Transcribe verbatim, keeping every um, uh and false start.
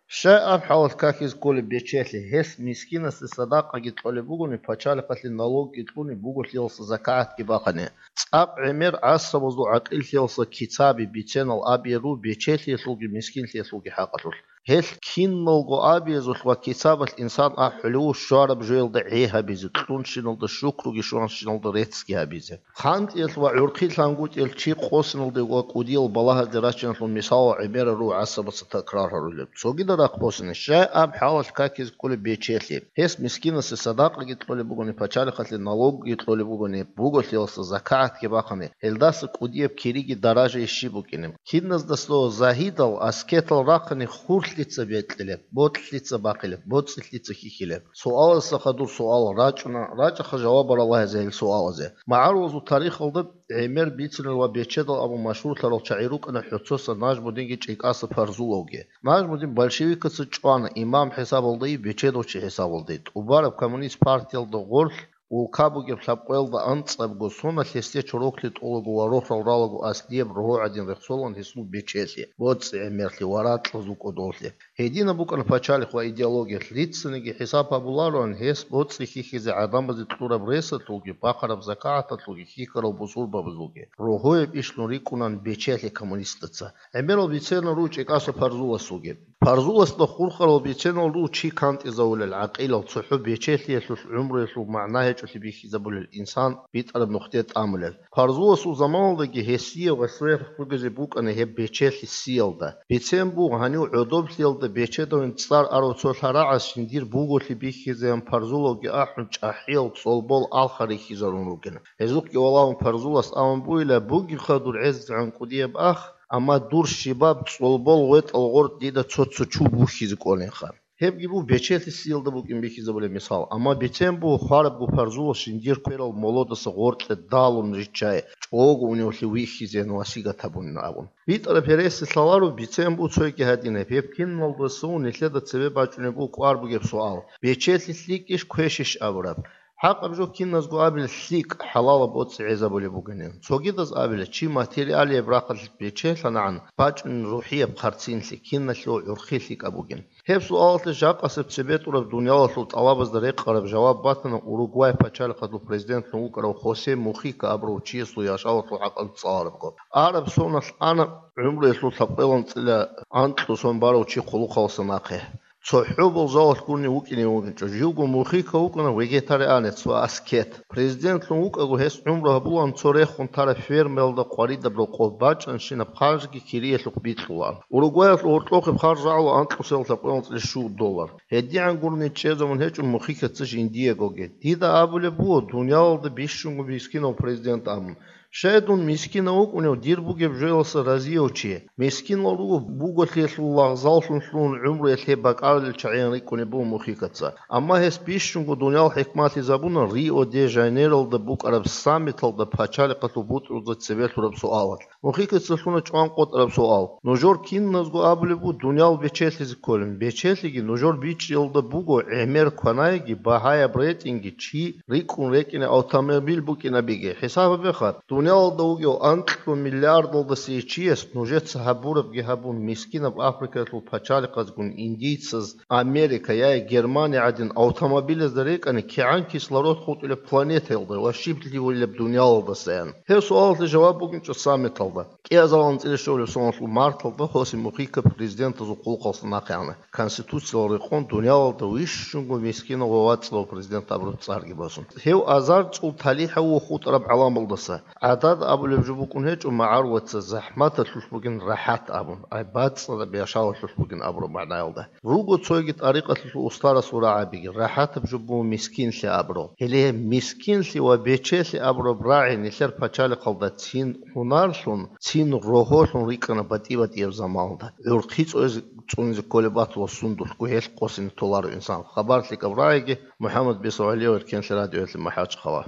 Щай аб хӀалалъ какизе кколеб бечелъи, гьес мискинасе садакъаги кьолеб бугони, пачалихъалъе налогги кьунеб буго, лъиялса закагӀатги бахъани. ЦӀакъ гӀемер гӀасабазул гӀакъиллъиялса кицаби биценал абияру бечелъиялъулги мискинлъиялъулги хӀакъалъулъ. Гьелъ киналго абиязулъ ва кицабалъ инсан ахӀулев щвараб жоялда гӀей гьабизе, кьунщиналда щукруги щванщиналда реццги гьабизе. ХъантӀиялъ ва гӀурхъи лъангутӀиялъ чи къосиналде ва кӀудиял балагьазде рачиналъул мисалал гӀемерал руго гӀасабаца такрар гьарулеб. Цогидал рахъ босани, щай аб хӀалалъ какизе кколеб бечелъи. Гьес мискинасе садакъаги кьолеб бугони, пачалихъалъе налогги кьолеб бугони, буголъиялса закагӀатги бахъани, гьелдаса кӀудияб кириги даражаги щиб букӀинеб. Киназдаса загьидал, аскетал рахъани, хурлъица бекьилеб, бокьлъица бахъилеб, боцӀилъица хьихьилеб. Суаласда хадур суал рачӀуна, рачӀаха жаваб барала гьезие гьел суалазе. МагӀарулазул тарихалда гӀемер бицинал ва бечедал абун машгьурлъарал чагӀи рукӀана ХӀоцоса Нажмудинги ЧӀикӀаса Парзуловги. Нажмудин большевикаца чӀвана имам хӀисабалдайи бечедав чи хӀисабалдайи. ТӀубараб коммунист партиялда гъорлъ улка бугеб лъабкъоялда анцӀабго соналъ гьесде чороклъи тӀолаго ва рохьал ралаго аслияб рогьо гӀадин рехсолан гьесул бечелъи, боцӀи гӀемерлъи ва ракьазул кӀодолъи. Гьединаб букӀана пачалихъ ва идеологиялъ. Лъицаниги хӀисаб гьабулароан, гьес боцӀи хьихьизе гӀадамазе кьураб ресалъулги, бахъараб закагӀаталъулги, хьихьарал бусурбабазулги. Рогьояб ишлъун рикӀкӀунан бечелъи коммунистаца. ГӀемерал бицерна руго ЧӀикӀаса Парзуласулги. Парзуласда хурхарал бицернал руго чи кантӀизавулел, гӀакъилал, цохӀо бечелъиялъулъ гӀумруялъул магӀна гьечӀолъи бихьизабулел, инсан битӀараб нухде тӀамулел. Парзуласул заманалдаги гьесие гъослуяхъ бугезе букӀана гьеб бечелъи сиялда. Бицен буго, гьанив гӀодоблъиялда бечедавин цӀар арав цо лъарагӀаз жиндир буголъи бихьизеян Парзулавги ахӀун, чӀахӀиял цӀолбол алха рихьизарун ругин. Гьезухъги валагьун Парзулас абун бугила: «Бугебха дур гӀезегӀан кӀудияб ах, амма дур щибаб цӀолбол гъветӀал гъоркь дида цо-цо чу бухьизе кӀолинха». Гьебги буго бечелъи сиялда букӀин бихьизабулеб мисал, амма бицен буго хварабго Парзулас жиндир кверал молодаса гъоркье далун риччай, чӀого уневлъи вихьизеян васигат гьабунин абун. БитӀараб гьереси лъаларо, бицен буго цойги гьадинаб. Гьеб киналдасавун нилъеда цебе бачӀунеб буго кӀвар бугеб суал: бечелъи лъикӀищ, квешищ абураб? ХӀакъаб жо киназго абила лъикӀ, хӀалалаб боцӀи гӀезабулеб бугинин. Цогидаз абила, чи материалияб рахъалъ бечелъанагӀан бачӀунин рухӀияб хъарцинлъи, киналъул гӀурхъи лъикӀаб бугин. Гьеб суалалъе жакъасеб цебетӀураб дуниялалъул тӀалабазда рекъараб жаваб батана Уругвай пачалихъалъул президентлъун вукӀарав Хосе Мухика абурав чиясул яшавалъул хӀакъалъулъ цӀаларабго. Араб соналъ ана гӀумруялъул лъабкъоялда анцӀила анкьго сон барав чи хъулухъалдаса нахъе. ЦохӀо болжалалъ гурони вукӀине вугинчӀо. Живго Мухика вукӀана вегетарианец ва аскет. Президентлъун вукӀаго гьес гӀумру гьабулаан цо рехун тараб фермаялда къваридаб рокъов бачӀанщинаб харжги кириялъухъ бикьулаан. Уругваялъул гьоркьохъеб харж рагӀула анкьусел лъабкъоялда анцӀила щуго доллар. ГьедигӀан гурони чӀезабун гьечӀо Мухикаца жиндиягоги. Дида абулеб буго, дуниялалда бищунго мискинав президент абун. Щай дун мискинав вукӀунев дир бугеб жоялдаса разияв чи? Мискинал руго буголъиялъул лагъзаллъун лъугьун гӀумруялъ гьеб бакӀарулел чагӀиян рикӀкӀунеб буго Мухикаца. Амма гьес бищунго дуниял хӀикмалъизабуна Рио-де-Жанейролда букӀараб саммиталда пачалихъалъул бутӀрузда цебе лъураб суалалъ. Мухикаца лъуна чӀван къотӀараб суал. Нужер киназго абулеб буго дуниял бечелъизе кколин. Бечелъиги нужер бичӀчӀиялда буго гӀемер кванаеги, багьаяб ретӀинги, чи рикӀкӀун рекӀине автомобиль букӀинабиги. ХӀисаб гьабеха, дуниялалда вугев анкьго миллиардалдасей чияс нужеца гьабурабги гьабун, мискинаб Африкаялъул пачалихъазгун индийцаз Америка яги Германия гӀадин автомобилазда рекӀани, кигӀан кислород хутӀулеб планетаялда ва щиб лъугьулеб дуниялалдасаян? Гьеб суалалъе жаваб бугинчӀо саммиталда. КӀиазал анцӀила щолеб соналъул марталда Хосе Мухика президентазул хъулухъалдаса нахъе ана, Конституциялда рекъон дуниялалда вищунго мискинав ва вацӀцӀадав президент абураб цӀарги босун. Гьев азар цӀул талихӀав вухутӀараб гӀаламалдаса. ГӀадада абулеб жо букӀун гьечӀо магӀарулаца захӀматалъулъ бугин рахӀат абун, ай бацӀцӀадаб яшавалъулъ бугин абураб магӀнаялда. Руго цоги тӀарикъалъулъ устарасул рагӀабиги, рахӀатаб жо буго мискинлъи абурал. Гьеле гьеб мискинлъи ва бечелъи абураб рагӀи нилъер пачалихъалда цин гьунарлъун, цин рогьолъун рикӀкӀана батӀи-батӀияб заманалда. ГӀурхъи цӀунизе, цӀунизе кколеб батула сундулъго гьелъ къосине толаро инсан. Хабар лъикӀаб рагӀиги, МухӀаммад Бесо ГӀалиев, Эркенлъи радиоялъе МахӀачхъала.